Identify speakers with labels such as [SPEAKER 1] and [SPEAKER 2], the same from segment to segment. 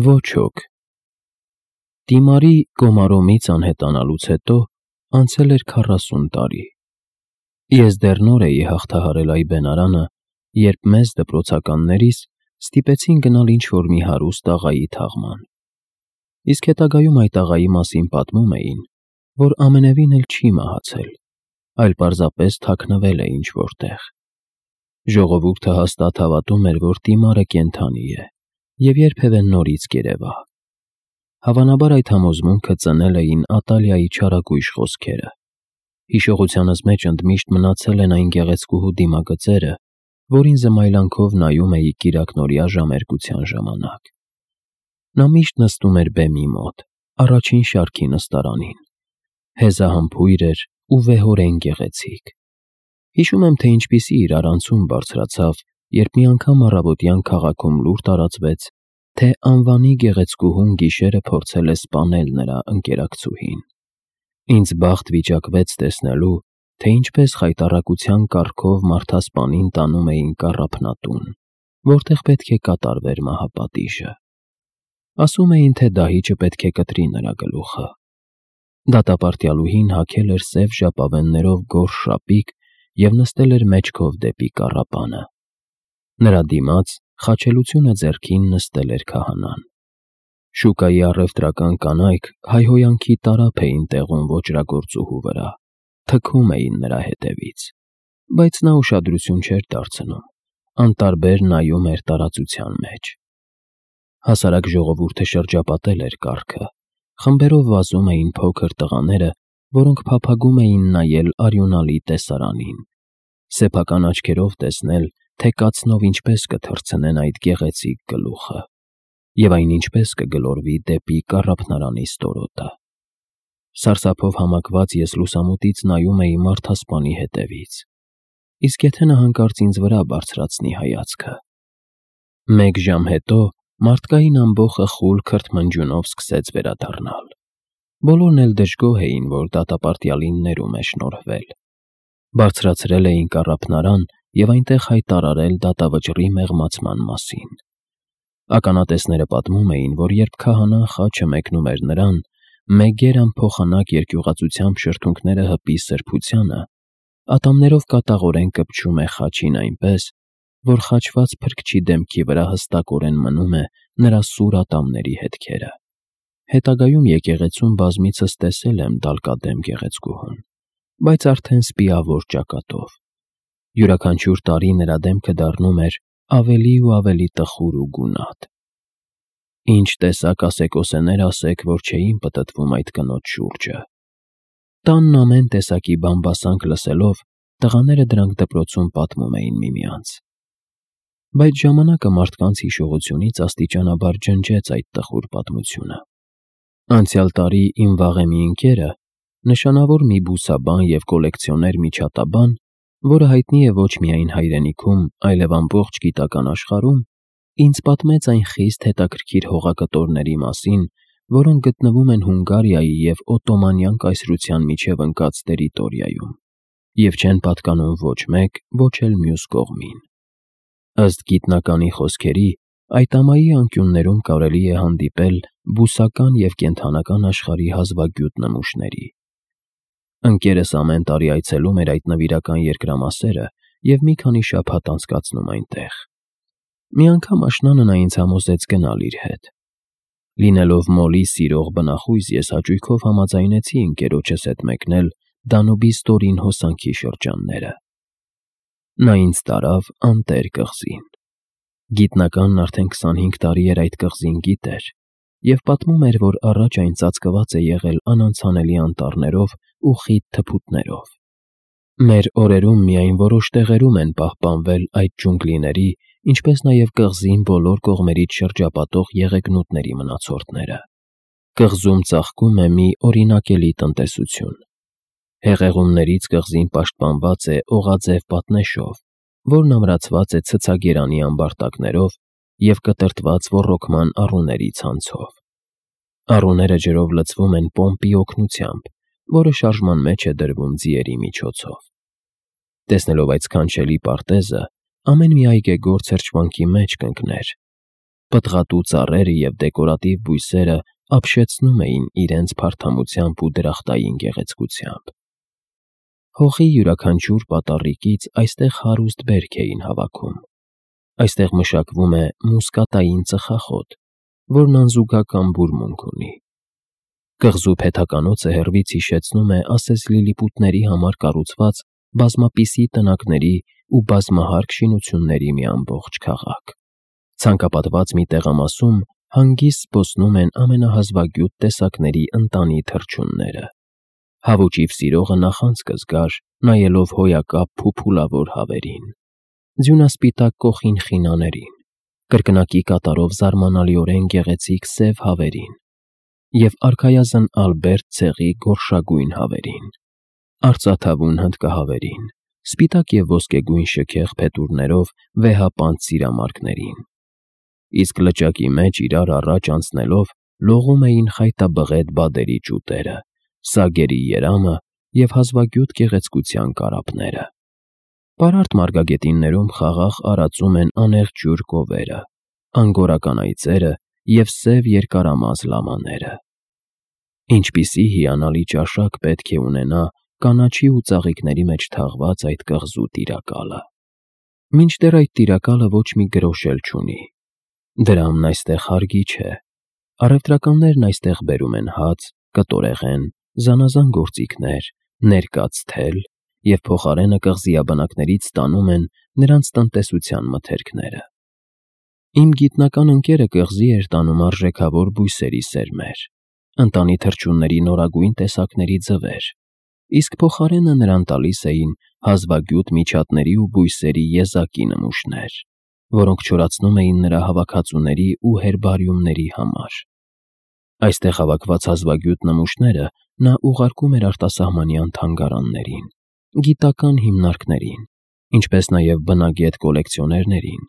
[SPEAKER 1] Ոչ ոք։ Դիմարի Կոմարոմից անհետանալուց հետո անցել էր 40 տարի։ Ես դեռ նոր էի հաղթահարել այբենարանը, երբ մեզ դպրոցականներիս ստիպեցին գնալ ինչ-որ մի հարուստ աղայի թաղման։ Իսկ հետագայում այդ աղայի մասին պատմում էին, որ ամենևին էլ չի մահացել, այլ պարզապես թաքնվել է ինչ-որ տեղ։ Ժողովուրդը հաստատ հավատում էր, որ Դիմարը կենդանի է և երբևէ նորից կերևա։ Հավանաբար այդ համոզմունքը ծնել էին Ատալիայի չարագույժ խոսքերը։ Հիշողությանս մեջ ընդմիշտ մնացել են այն գեղեցկուհու դիմագծերը, որին զմայլանքով նայում էի կիրակնօրյա ժամերկության ժամանակ։ Նա միշտ նստում էր բեմի մոտ, առաջին շարքի նստարանին։ Հեզահամբույր էր ու վեհորեն գեղեցիկ։ Հիշում եմ, թե ինչպիսի իրարանցում բարձրացավ, երբ մի անգամ առավոտյան քաղաքում լուր տարածվեց, թե անվանի գեղեցկուհուն գիշերը փորձել է սպանել նրա ընկերակցուհին։ Ինձ բախտ վիճակվեց տեսնելու, թե ինչպես խայտառակության կառքով մարդասպանին տանում էին կառափնատուն, որտեղ պետք է կատարվեր մահապատիժը։ Ասում էին, թե դահիճը պետք է կտրի նրա գլուխը։ Դատապարտյալուհին հագել էր սև ժապավեններով գորշ շապիկ և նստել էր մեջքով դեպի կառապանը։ Նրա դիմաց, խաչելությունը ձեռքին, նստել էր քահանան։ Շուկայի առևտրական կանայք հայհոյանքի տարափ էին տեղում ոճրագործուհու վրա, թքում էին նրա հետևից, բայց նա ուշադրություն չէր դարձնում, անտարբեր նայում էր տարածության մեջ։ Հասարակ ժողովուրդը շրջապատել էր կառքը, խմբերով վազում էին փոքր տղաները, որոնք փափագում էին նայել արյունալի տեսարանին, սեփական աչքերով տեսնել, թե կացնով ինչպես կթռցնեն այդ գեղեցիկ գլուխը, և այն ինչպես կգլորվի դեպի կառափնարանի ստորոտը։ Սարսափով համակված ես լուսամուտից նայում էի մարդասպանի հետևից, իսկ եթե նա հանկարծ ինձ վրա բարձրացնի հայացքը։ Մեկ ժամ հետո մարդկային ամբոխը խուլ քրթմնջյունով սկսեց վերադառնալ։ Բոլորն էլ դժգոհ էին, որ դատապարտյալին ներում է շնորհվել։ Բարձրացրել էին կառափնարան և այնտեղ հայտարարել դատավճռի մեղմացման մասին։ Ականատեսները պատմում էին, որ երբ քահանան խաչը մեկնում էր նրան, մեգեր անփոխանակ երկյուղածությամբ շրթունքները հպի սրբությանը, ատամներով կատաղորեն կպչում է խաչին այնպես, որ խաչված փրկչի դեմքի վրա հստակորեն մնում է նրա սուր ատամների հետքերը։ Հետագայում եկեղեցում բազմիցս տեսել եմ դալկադեմ գեղեցկուհուն, բայց արդեն սպիավոր ճակատով։ Յուրաքանչյուր տարի նրա դեմքը դառնում էր ավելի ու ավելի տխուր ու գունատ։ Ինչ տեսակ ասեկոսեներ ասեք, որ չէին պտտվում այդ կնոջ շուրջը։ Տանն ամեն տեսակի բամբասանք լսելով, տղաները դրանք դպրոցում պատմում էին միմյանց։ Բայց ժամանակը մարդկանց հիշողությունից աստիճանաբար ջնջեց այդ տխուր պատմությունը։ Անցյալ տարի իմ վաղեմի ընկերը, նշանավոր մի բուսաբան և կոլեկցիոներ միջատաբան, որը հայտնի է ոչ միայն հայրենիքում, այլև ամբողջ գիտական աշխարհում, ինձ պատմեց այն խիստ հետաքրքիր հողակտորների մասին, որոնք գտնվում են Հունգարիայի և Օտոմանյան կայսրության միջև ընկած տերիտորիայում, և չեն պատկանում ոչ մեկ, ոչ էլ մյուս կողմին։ Ըստ գիտնականի խոսքերի, այդ ամայի անկյուններում կարելի է հանդիպել բուսական և կենդանական աշխարհի հազվագյուտ նմուշների։ Ընկերս ամեն տարի այցելում էր այդ նվիրական երկրամասերը և մի քանի շաբաթ անցկացնում այնտեղ։ Մի անգամ աշնանը նա ինձ համոզեց գնալ իր հետ։ Լինելով մոլի սիրող բնախույզ, ես հաճույքով համաձայնեցի ընկերոջս հետ մեկնել Դանուբի ստորին հոսանքի շրջանները։ Նա ինձ տարավ Անտեր կղզին։ Գիտնականն արդեն 25 տարի էր այդ կղզին գիտեր և պատմում էր, որ առաջ այն ծածկված է եղել անանցանելի անտառներով ու խիտ թփուտներով։ Մեր օրերում միայն որոշ տեղերում են պահպանվել այդ ջունգլիների, ինչպես նաև կղզին բոլոր կողմերից շրջապատող եղեգնուտների մնացորդները։ Կղզում ծաղկում է մի օրինակելի տնտեսություն։ Հեղեղումներից կղզին պաշտպանված է օղաձև պատնեշով, որն ամրացված է ցցագերանի ամբարտակներով և կտրտված ոռոգման առուների ցանցով։ Առուները ջրով լցվում են պոմպի օգնությամբ, որը շարժման մեջ է դրվում ձիերի միջոցով։ Տեսնելով այդ սքանչելի պարտեզը, ամեն մի այգեգործ հրճվանքի մեջ կընկներ, Պտղատու ծառերը և դեկորատիվ բույսերը ապշեցնում էին իրենց փարթամությամբ ու դրախտային գեղեցկությամբ։ Հողի յուրաքանչյուր պատառիկից այստեղ հարուստ բերք էին հավաքում։ Այստեղ մշակվում է մուսկատային ծխախոտ, որն անզուգական բուրմունք ունի։ Կղզու փեթականոցը հեռվից հիշեցնում է ասես լիլիպուտների համար կառուցված բազմապիսի տնակների ու բազմահարկ շինությունների մի ամբողջ քաղաք։ Ցանկապատված մի տեղամասում հանգիստ զբոսնում են ամենահազվագյուտ տեսակների ընտանի թռչունները։ Հավուճիվ սիրողը նախանց կզգար, նայելով հոյակապ փուփուլավոր հավերին, ձյունասպիտակ կոխին խինաներին, կրկնակի կատարով զարմանալիորեն գեղեցիկ սև հավերին և արքայազն ալբերտ ցեղի գորշագույն հավերին, արծաթավուն հնդկահավերին, սպիտակ և ոսկեգույն շքեղ փետուրներով վեհապանծ սիրամարգներին, իսկ լճակի մեջ իրար առաջ անցնելով լողում էին խայտաբղետ բադերի ճուտերը, սագերի երամը և հազվագյուտ գեղեցկության կարապները։ Պարարտ մարգագետիններում խաղաղ արածում են անեղջյուր կովերը, անգորական այծերը և սև երկարամազ լամաները։ Ինչպիսի հիանալի ճաշակ պետք է ունենա կանաչի ու ծաղիկների մեջ թաղված այդ կղզու տիրակալը։ Մինչդեռ այդ տիրակալը ոչ մի գրոշ էլ չունի։ Դրամն այստեղ հարգի չէ։ Առևտրականներն այստեղ բերում են հաց, կտորեղեն, զանազան գործիքներ, ներկած թել և փոխարենը կղզիաբնակներից ստանում են նրանց տնտեսության մթերքները։ Իմ գիտնական ընկերը կղզի էր տանում արժեքավոր բույսերի սերմեր, ընտանի թռչունների նորագույն տեսակների ձվեր, իսկ փոխարենը նրան տալիս էին հազվագյուտ միջատների ու բույսերի եզակի նմուշներ, որոնք չորացնում էին նրա հավաքածուների ու հերբարիումների համար։ Այստեղ հավաքված հազվագյուտ նմուշները նա ուղարկում էր արտասահմանյան թանգարաններին, գիտական հիմնարկներին, ինչպես նաև բնագետ կոլեկցիոներներին,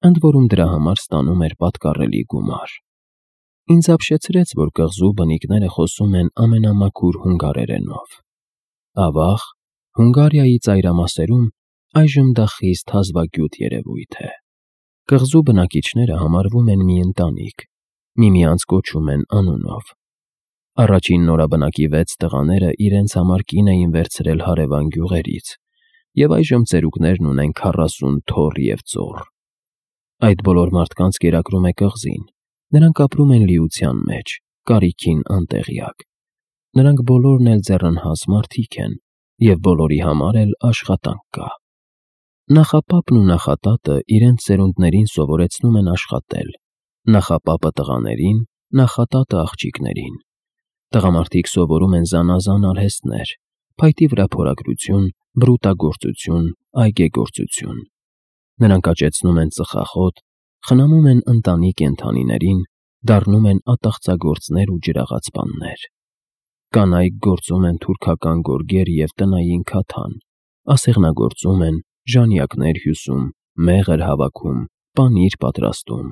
[SPEAKER 1] ընդ որում դրա համար ստանում էր պատկառելի գումար։ Ինձ ապշեցրեց, որ կղզու բնիկները խոսում են ամենամաքուր հունգարերենով։ Ավաղ, Հունգարիայի ծայրամասերում այժմ դա խիստ հազվագյուտ երևույթ է։ Կղզու բնակիչները համարվում են մի ընտանիք, միմյանց կոչում են անունով։ Առաջին նորաբնակի 6 տղաները իրենց համար կին էին վերցրել հարևան գյուղերից, և այժմ ծերուկներն ունեն 40 թոռ և ծոռ։ Այդ բոլոր մարդկանց կերակրում է կղզին, նրանք ապրում են լիության մեջ, կարիքին անտեղյակ։ Նրանք բոլորն էլ ձեռնհաս մարդիկ են, և բոլորի համար էլ աշխատանք կա։ Նախապապն ու նախատատը իրենց սերունդներին սովորեցնում են աշխատել, նախապապը տղաներին, նախատատը աղջիկներին։ Տղամարդիկ սովորում են զանազան արհեստներ՝ փայտի վրա փորագրություն, բրուտագործություն, այգեգործություն։ Նրանք աճեցնում են ծխախոտ, խնամում են ընտանի կենդանիներին, դառնում են ատաղծագործներ ու ջրաղացպաններ։ Կանայք գործում են թուրքական գորգեր և տնային քաթան, ասեղնագործում են, ժանյակներ հյուսում, մեղր հավաքում, պանիր պատրաստում,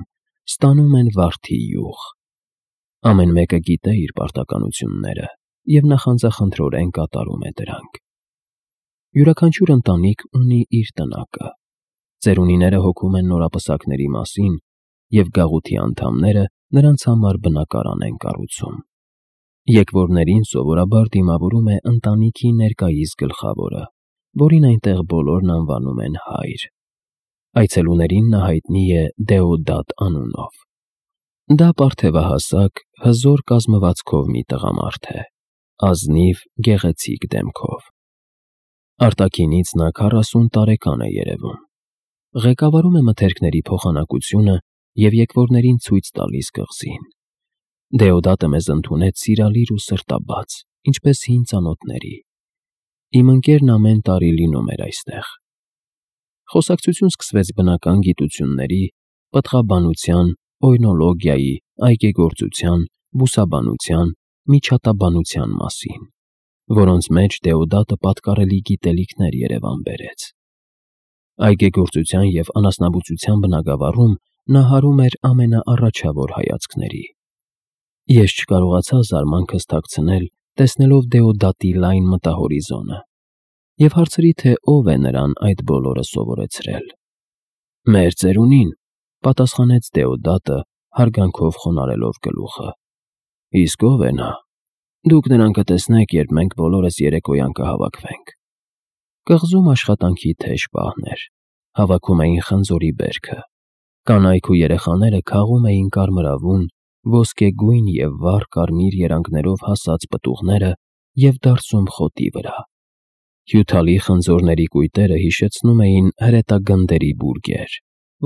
[SPEAKER 1] ստանում են վարդի յուղ։ Ամեն մեկը գիտե իր պարտականությունները և նախանձախնդրորեն կատարում է դրանք։ Յուրաքանչյուր ընտանիք ունի իր տնակը։ Ծերունիները հոգում են նորապսակների մասին, և գաղութի անդամները նրանց համար բնակարան են կառուցում։ Եկվորներին սովորաբար դիմավորում է ընտանիքի ներկայիս գլխավորը, որին այնտեղ բոլորն անվանում են հայր։ Այցելուներին նա հայտնի է Դեոդատ անունով։ Դա պարթևահասակ, հզոր կազմվածքով մի տղամարդ է, ազնիվ, գեղեցիկ դեմքով։ Արտաքինից նա 40 տարեկան է երևում։ Ղեկավարում է մթերքների փոխանակությունը և եկվորներին ցույց տալիս կղզին։ Դեոդատը մեզ ընդունեց սիրալիր ու սրտաբաց, ինչպես հին ծանոթների։ Իմ ընկերն ամեն տարի լինում էր այստեղ։ Խոսակցություն սկսվեց բնական գիտությունների, պտղաբանության, օյնոլոգիայի, այգեգործության, բուսաբանության, միջատաբանության մասին, որոնց մեջ Դեոդատը պատկառելի գիտելիքներ երևան բերեց։ Այգեգործության և անասնաբուծության բնագավառում նա հարում էր ամենաառաջավոր հայացքների։ Ես չկարողացա զարմանքս թաքցնել, տեսնելով Դեոդատի լայն մտահորիզոնը, և հարցրի, թե ով է նրան այդ բոլորը սովորեցրել։ Մեր ծերունին, պատասխանեց Դեոդատը, հարգանքով խոնարհելով գլուխը։ Իսկ ով է նա։ Դուք նրան կտեսնեք, երբ մենք բոլորս երեկոյան կհավաքվենք։ Կղզում աշխատանքի թեժ պահն էր։ Հավաքում էին խնձորի բերքը։ Կանայք ու երեխաները քաղում էին կարմրավուն, ոսկեգույն և վառ կարմիր երանգներով հասած պտուղները և դարսում խոտի վրա։ Հյութալի խնձորների կույտերը հիշեցնում էին հրետագնդերի բուրգեր,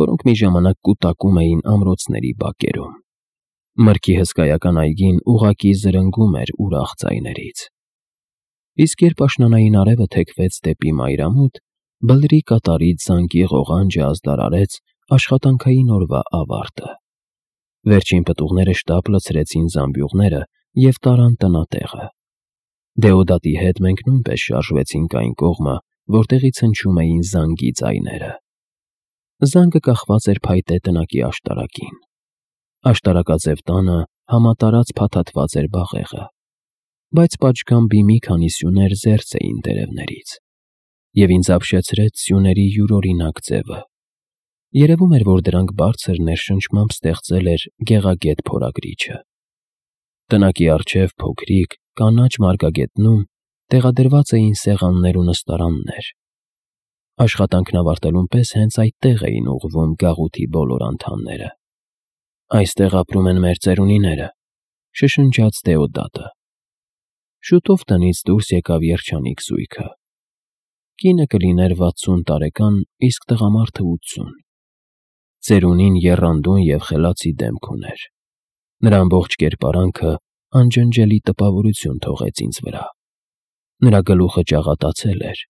[SPEAKER 1] որոնք մի ժամանակ կուտակում էին ամրոցների բակերում։ Մրգի հսկայական այգին ուղղակի զրնգում էր ուրախ ձայներից։ Իսկ երբ աշնանային արևը թեքվեց դեպի մայրամուտ, բլրի կատարից զանգի ղողանջը ազդարարեց աշխատանքային օրվա ավարտը։ Վերջին պտուղները շտապ լցրեցին զամբյուղները և տարան տնատեղը։ Դեոդատի հետ մենք նույնպես շարժվեցինք այն կողմը, որտեղից հնչում էին զանգի ձայները։ Զանգը կախված էր փայտե տնակի աշտարակին։ Աշտարակաձև տանը համատարած փաթաթված էր բաղեղը, բայց պատշգամբի մի քանի սյուներ զերծ էին տերևներից, և ինձ ապշեցրեց սյուների յուրօրինակ ձևը։ Երևում էր, որ դրանք բարձր ներշնչմամբ ստեղծել էր գեղագետ փորագրիչը։ Տնակի առջև փոքրիկ, կանաչ մարգագետնում տեղադրված էին սեղաններ ու նստարաններ։ Աշխատանքն ավարտելուն պես հենց այդտեղ էին ուղղվում գաղութի բոլոր անդամները։ Այստեղ ապրում են մեր ծերունիները, շշնջաց Դեոդատը։ Շուտով տնից դուրս եկավ երջանիկ զույգը։ Կինը կլիներ 60 տարեկան, իսկ տղամարդը 80։ Ծերունին եռանդուն և խելացի դեմք ուներ։ Նրա ամբողջ կերպարանքը անջնջելի տպավորություն թողեց ինձ վրա։ Նրա գլուխը ճաղատացել էր,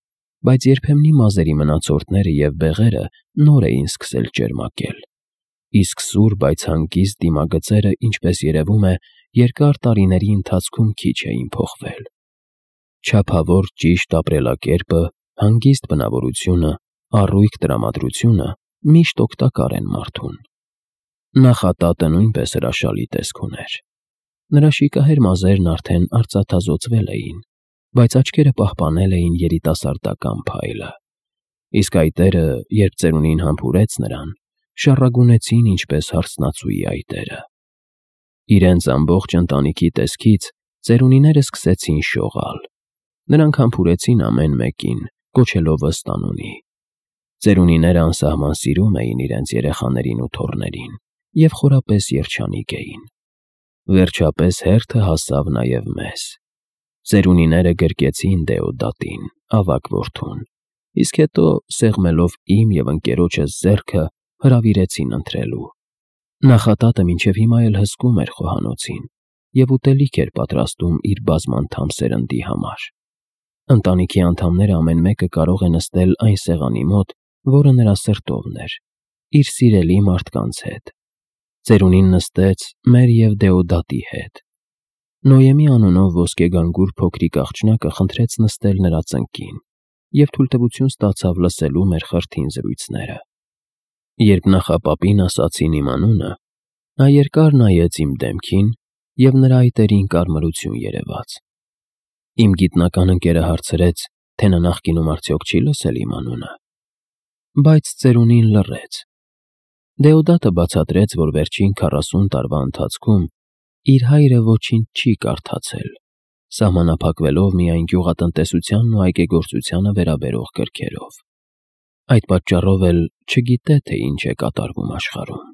[SPEAKER 1] բայց երբեմնի մազերի մնացորդները և բեղերը նոր էին սկսել ճերմակել, իսկ սուր, բայց հանգիստ դիմագծերը, ինչպես երևում է, երկար տարիների ընթացքում քիչ էին փոխվել։ Չափավոր ճիշտ ապրելակերպը, հանգիստ բնավորությունը, առույգ տրամադրությունը միշտ օգտակար են մարդուն։ Նախատատը նույնպես հրաշալի տեսք ուներ։ Նրա շիկահեր մազերն արդեն արծաթազօծվել էին, բայց աչքերը պահպանել էին երիտասարդական փայլը։ Իսկ այտերը, երբ ծերունին համբուրեց նրան, շառագունեցին ինչպես հարսնացուի այտերը։ Իրենց ամբողջ ընտանիքի տեսքից ծերունիները սկսեցին շողալ։ Նրանք համբուրեցին ամեն մեկին, կոչելով ըստ անունի։ Ծերունիները անսահման սիրում էին իրենց երեխաներին ու թոռներին և խորապես երջանիկ էին։ Վերջապես հերթը հասավ նաև մեզ։ Ծերունիները գրկեցին Դեոդատին, ավագ որդուն, իսկ հետո, սեղմելով իմ և ընկերոջս ձեռքը, հրավիրեցին ընթրելու։ Նախատատը մինչև հիմա էլ հսկում էր խոհանոցին և ուտելիք էր պատրաստում իր բազմանդամ սերնդի համար։ Ընտանիքի անդամները ամեն մեկը կարող է նստել այն սեղանի մոտ, որը նրա սրտովն էր, իր սիրելի մարդկանց հետ։ Ծերունին նստեց մեր և Դեոդատի հետ։ Նոյեմի անունով ոսկեգանգուր փոքրիկ աղջնակը խնդրեց նստել նրա ծնկին և թույլտվություն ստացավ լսելու մեր խրթին զրույցները։ Երբ նախապապին ասացին իմ անունը, նա երկար նայեց իմ դեմքին, և նրա այտերին կարմրություն երևաց։ Իմ գիտնական ընկերը հարցրեց, թե նա նախկինում արդյոք չի լսել իմ անունը։ Բայց ծերունին լռեց։ Դեոդատը բացատրեց, որ վերջին 40 տարվա ընթացքում իր հայրը ոչինչ չի կարդացել, սահմանափակվելով միայն գյուղատնտեսությանն ու այգեգործությանը վերաբերող գրքերով։ Այդ պատճառով էլ չգիտե, թե ինչ է կատարվում աշխարհում։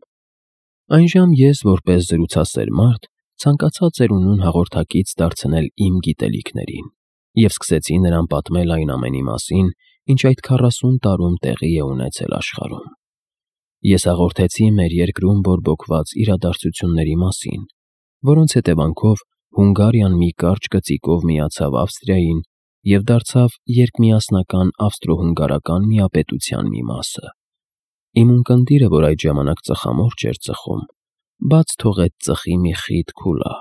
[SPEAKER 1] Այնժամ ես, որպես զրուցասեր մարդ, ցանկացա ծերունուն հաղորդակից դարձնել իմ գիտելիքներին և սկսեցի նրան պատմել այն ամենի մասին, ինչ այդ 40 տարում տեղի է ունեցել աշխարհում։ Ես հաղորդեցի մեր երկրում բորբոքված իրադարձությունների մասին, որոնց հետևանքով Հունգարիան մի կարճ կծիկով միացավ Ավստրիային և դարձավ երկմիասնական ավստրո-հունգարական միապետության մի մասը։ Իմ ունկնդիրը, որ այդ ժամանակ ծխամորճ էր ծխում, բաց թողեց ծխի մի խիտ քուլա,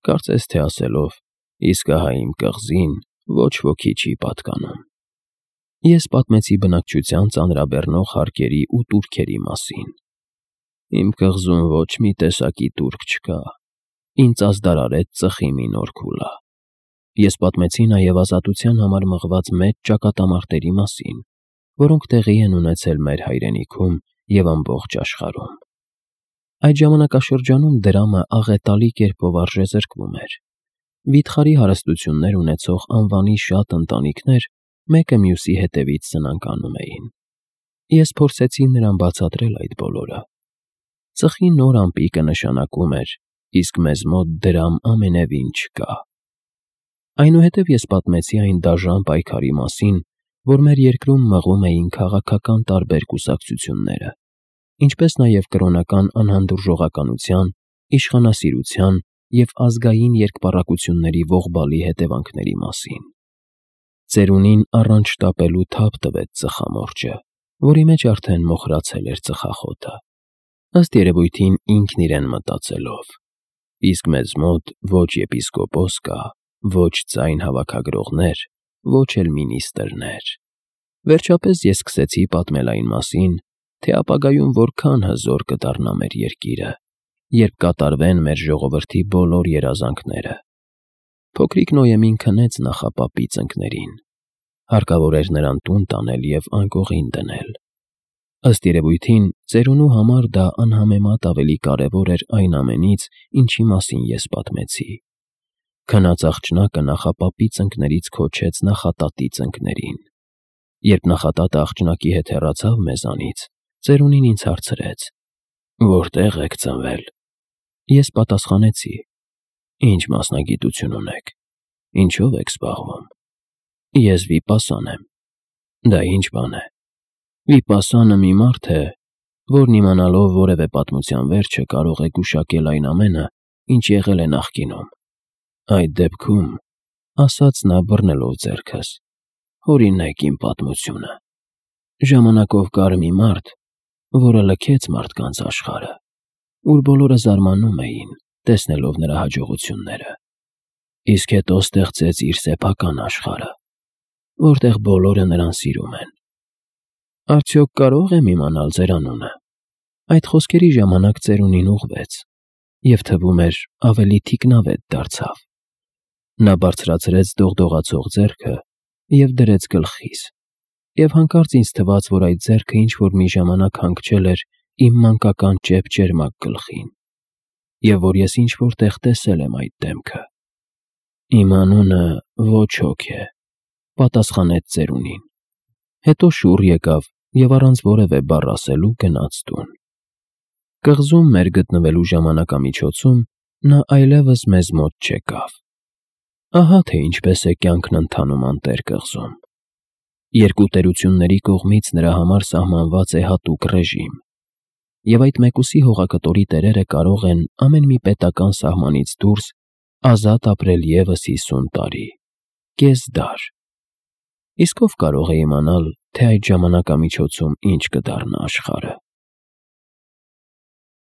[SPEAKER 1] կարծես թե ասելով. «Իսկ ահա իմ կղզին ոչ ոքի չի պատկանում»։ Ես պատմեցի բնակչության ծանրաբեռնող հարկերի ու տուրքերի մասին։ Իմ կղզում ոչ մի տեսակի տուրք չկա, ինձ ազդարարեց ծխի մի նոր քուլա։ Ես պատմեցի նաև ազատության համար մղված մեծ ճակատամարտերի մասին, որոնք տեղի են ունեցել մեր հայրենիքում և ամբողջ աշխարհում։ Այդ ժամանակաշրջանում դրամը աղետալի կերպով արժե զրկվում էր։ Վիթխարի հարստություններ ունեցող անվանի շատ ընտանիքներ մեկը մյուսի հետևից սնանկանում էին։ Ես փորձեցի նրան բացատրել այդ բոլորը։ Ծխի նոր ամպիկը նշանակում էր, իսկ մեզ մոտ դրամ ամենևին չկա։ Այնուհետև ես պատմեցի այն դաժան պայքարի մասին, որ մեր երկրում մղում էին քաղաքական տարբեր կուսակցությունները, ինչպես նաև կրոնական անհանդուրժողականության, իշխանասիրության և ազգային երկպառակությունների ողբալի հետևանքների մասին։ Ծերունին առանց շտապելու թափ տվեց ծխամորճը, որի մեջ արդեն մոխրացել էր ծխախոտը, ըստ երևույթին ինքն իրեն մտածելով. իսկ մեզ մոտ ոչ եպիսկոպոս կա, ոչ ձայն հավաքագրողներ, ոչ էլ մինիստրներ։ Վերջապես ես սկսեցի պատմել այն մասին, թե ապագայում որքան հզոր կդառնա մեր երկիրը, երբ կատարվեն մեր ժողովրդի բոլոր երազանքները։ Փոքրիկ Նոյեմին քնեց նախապապի ծնկներին։ Հարկավոր էր նրան տուն տանել և անկողին դնել։ Ըստ երևույթին, ծերունու համար դա անհամեմատ ավելի կարևոր էր այն ամենից, ինչի մասին ես պատմեցի։ Քնած աղջնակը նախապապի ծնկներից քոչեց նախատատի ծնկներին։ Երբ նախատատը աղջնակի հետ հեռացավ մեզանից, ծերունին ինձ հարցրեց. «Որտե՞ղ եք ծնվել»։ Ես պատասխանեցի. «Ինչ մասնագիտություն ունեք, ինչով եք զբաղվում»։ Ես վիպասան եմ։ Դա ինչ բան է։ Վիպասանը մի մարդ է, որն իմանալով որևէ պատմության վերջը կարող է գուշակել այն ամենը, ինչ եղել է նախկինում։ Այդ դեպքում, ասաց նա բռնելով ձեռքս, հորինեք իմ պատմությունը։ Ժամանակով կար մի մարդ, որը լքեց մարդկանց աշխարհը, ուր բոլորը զարմանում էին, տեսնելով նրա հաջողությունները, իսկ հետո ստեղծեց իր սեփական աշխարհը, որտեղ բոլորը նրան սիրում են։ Արդյոք կարող եմ իմանալ ձեր անունը։ Այդ խոսքերի ժամանակ ծերունին ուղղվեց, և թվում էր ավելի թիկնավետ դարձավ։ Նա բարձրացրեց դողդողացող ձեռքը և դրեց գլխիս, և հանկարծ ինձ թվաց, որ այդ ձեռքը ինչ-որ մի ժամանակ հանգչել էր իմ մանկական ճեպ-ճերմակ գլխին, և որ ես ինչ-որ տեղ տեսել եմ այդ դեմքը։ Իմ անունը ոչ հոգ է, պատասխանեց ծերունին։ Հետո շուռ եկավ և առանց որևէ բառ ասելու գնաց տուն։ Կղզում մեր գտնվելու ժամանակամիջոցում նա այլևս մեզ մոտ չեկավ։ Ահա թե ինչպես է կյանքն ընթանում անտեր կղզում։ Երկու տերությունների կողմից նրա համար սահմանված է հատուկ ռեժիմ, և այդ մեկուսի հողակտորի տերերը կարող են ամեն մի պետական սահմանից դուրս ազատ ապրել ևս 50 տարի, կես դար։ Իսկ ով կարող է իմանալ, թե այդ ժամանակամիջոցում ինչ կդառնա աշխարհը։